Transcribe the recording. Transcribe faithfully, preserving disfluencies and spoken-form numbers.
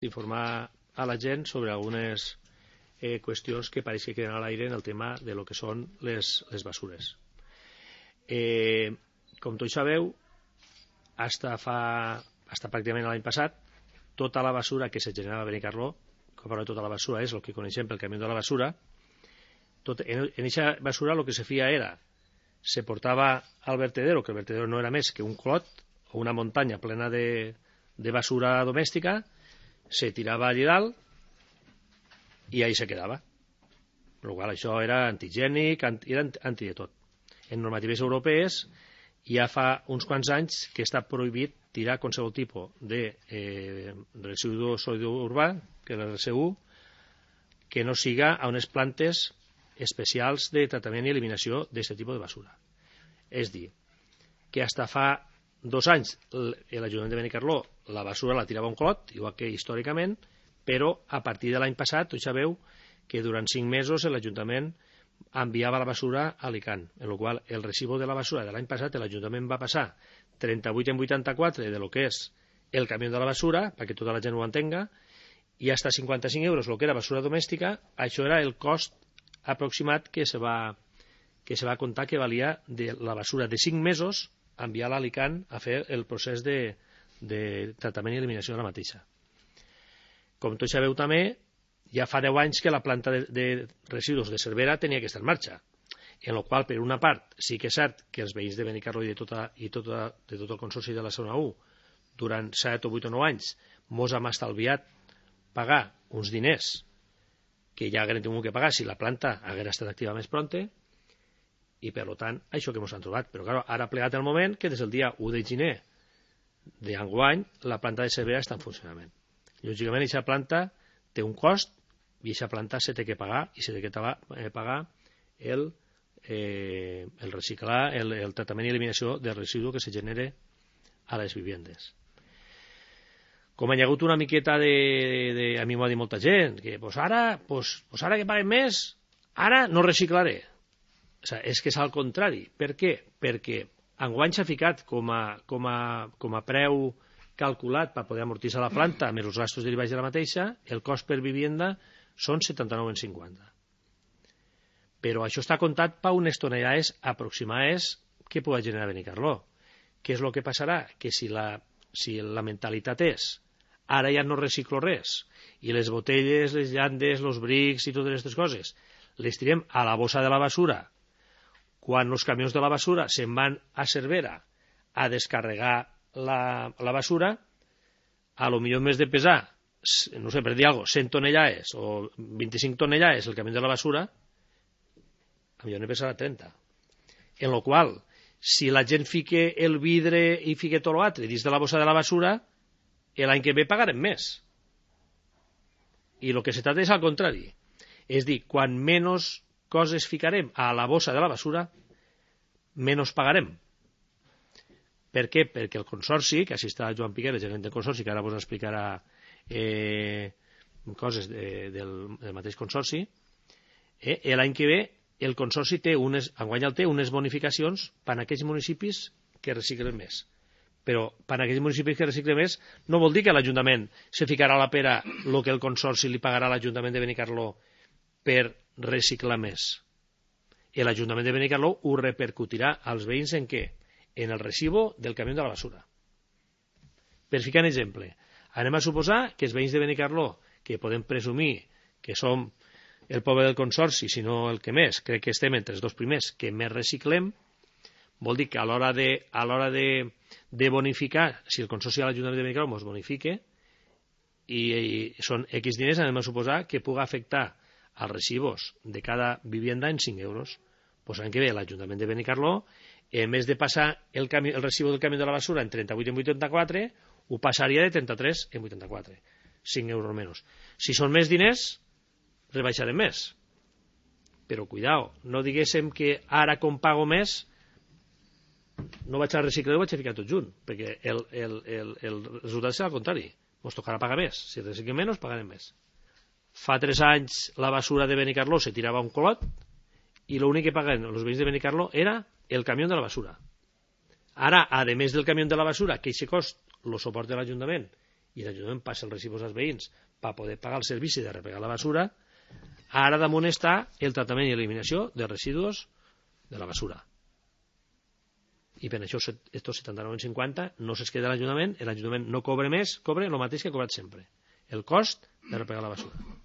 d'informar a la gent sobre algunes eh, qüestions que pareix que queden a l'aire en el tema de lo que són les, les basures. Eh, com tots sabeu, hasta fa hasta pràcticament l'any passat, tota la basura que se generava a Benicarló, com parlo de tota la basura, és el que coneixem pel camió de la basura. Tot, en aquesta basura el que se feia era, se portava al vertedero, que el vertedero no era més que un clot o una muntanya plena de, de basura domèstica, se tirava allà dalt i ahí se quedava. Per qual això era antigènic, era anti de tot. En normatives europees ja fa uns quants anys que està prohibit tirar qualsevol tipus de eh, residu sòlid urbà, que és el R S U, que no siga a unes plantes especials de tractament i eliminació d'aquest tipus de basura. És dir, que fins fa dos anys l'Ajuntament de Benicarló la basura la tirava un clot, igual que històricament, però a partir de l'any passat tots sabeu que durant cinc mesos l'Ajuntament enviava la basura a Alicant, en el qual el recibo de la basura de l'any passat l'Ajuntament va passar trenta-vuit en vuitanta-quatre de lo que és el camió de la basura, perquè tota la gent ho entenga, i hasta cinquanta-cinc euros el que era basura domèstica. Això era el cost aproximat que se va, que se va comptar que valia de la basura de cinc mesos enviar a Alicant a fer el procés de, de tractament i eliminació de la mateixa. Com tots sabeu també, ja fa deu anys que la planta de, de residus de Cervera tenia que estar en marxa, en la qual, per una part, sí que és cert que els veïns de Benicarló i de, tota, i tota, de tot el consorci de la zona u, durant set o vuit o nou anys, mos hem estalviat pagar uns diners que ja haguem tingut que pagar si la planta haguera estat activa més pronte, i per tant, això que ens han trobat. Però clar, ara ha plegat el moment que des del dia u de gener d'enguany la planta de Cervera està en funcionament. Lògicament, aquesta planta té un cost i aquesta planta se té que pagar i se té que pagar el, eh, el reciclar, el, el tractament i eliminació del residu que se genere a les vivendes. Com hi ha hagut una miqueta de... de a mi m'ho ha dit molta gent, que pues ara, pues, pues ara que paguen més, ara no reciclaré. O sigui, és que és al contrari. Per què? Perquè enguany s'ha ficat com a, com a, com a preu calculat per poder amortitzar la planta més els gastos derivats de la mateixa, el cost per vivienda són setanta-nou coma cinquanta. Però això està comptat per unes tonelades aproximades que pugui generar Benicarló. Què és el que passarà? Que si la, si la mentalitat és ara ja no reciclo res i les botelles, les llandes, els brics i totes aquestes coses les tirem a la bossa de la basura, quan els camions de la basura se'n van a Cervera a descarregar la, la basura, a lo millor més de pesar, no sé, per dir alguna cosa, cent tonellades o vint-i-cinc tonellades el camió de la basura, a millor ne pesarà trenta. En lo qual, si la gent fique el vidre i fique tot l'altre dins de la bossa de la basura, l'any que ve pagarem més. I el que se tracta és al contrari. És dir, quan menys coses ficarem a la bossa de la basura, menys pagarem. Per què? Perquè el consorci, que així està Joan Piquer, el gerent del consorci, que ara vos explicarà eh, coses de, del, del mateix consorci, eh, l'any que ve el consorci té unes, enguany el té unes bonificacions per a aquells municipis que reciclen més. Però per a aquells municipis que reciclen més no vol dir que l'Ajuntament se ficarà a la pera el que el consorci li pagarà a l'Ajuntament de Benicarló per reciclar més. I l'Ajuntament de Benicarló ho repercutirà als veïns en què? En el recibo del camió de la basura. Per ficar un exemple, anem a suposar que els veïns de Benicarló, que podem presumir que som el poble del consorci, si no el que més, crec que estem entre els dos primers que més reciclem, vol dir que a l'hora de, a l'hora de, de bonificar, si el consorci de l'Ajuntament de Benicarló ens bonifique, i, i són X diners, anem a suposar que pugui afectar als recibos de cada vivienda en cinc euros. Pues l'any que ve l'Ajuntament de Benicarló, en més de passar el, cami, el recibo del camió de la basura en trenta-vuit en vuitanta-quatre, ho passaria de trenta-tres en vuitanta-quatre. cinc euros menys. Si són més diners, rebaixarem més. Però cuidao, no diguéssim que ara com pago més no vaig a reciclar, ho vaig a ficar tot junt, perquè el, el, el, el resultat serà al contrari. Ens tocarà pagar més. Si reciclem menys, pagarem més. Fa tres anys la basura de Benicarló se tirava un colot i l'únic que pagaven els veïns de Benicarló era el camió de la basura. Ara, a més del camió de la basura, que aquest cost lo suporta l'Ajuntament i l'Ajuntament passa els residus als veïns per poder pagar el servici de repegar la basura, ara damunt està el tractament i eliminació de residus de la basura. I per això estos setanta-nou coma cinquanta no se'ls queda l'Ajuntament, l'Ajuntament no cobra més, cobra el mateix que ha cobrat sempre, el cost de repegar la basura.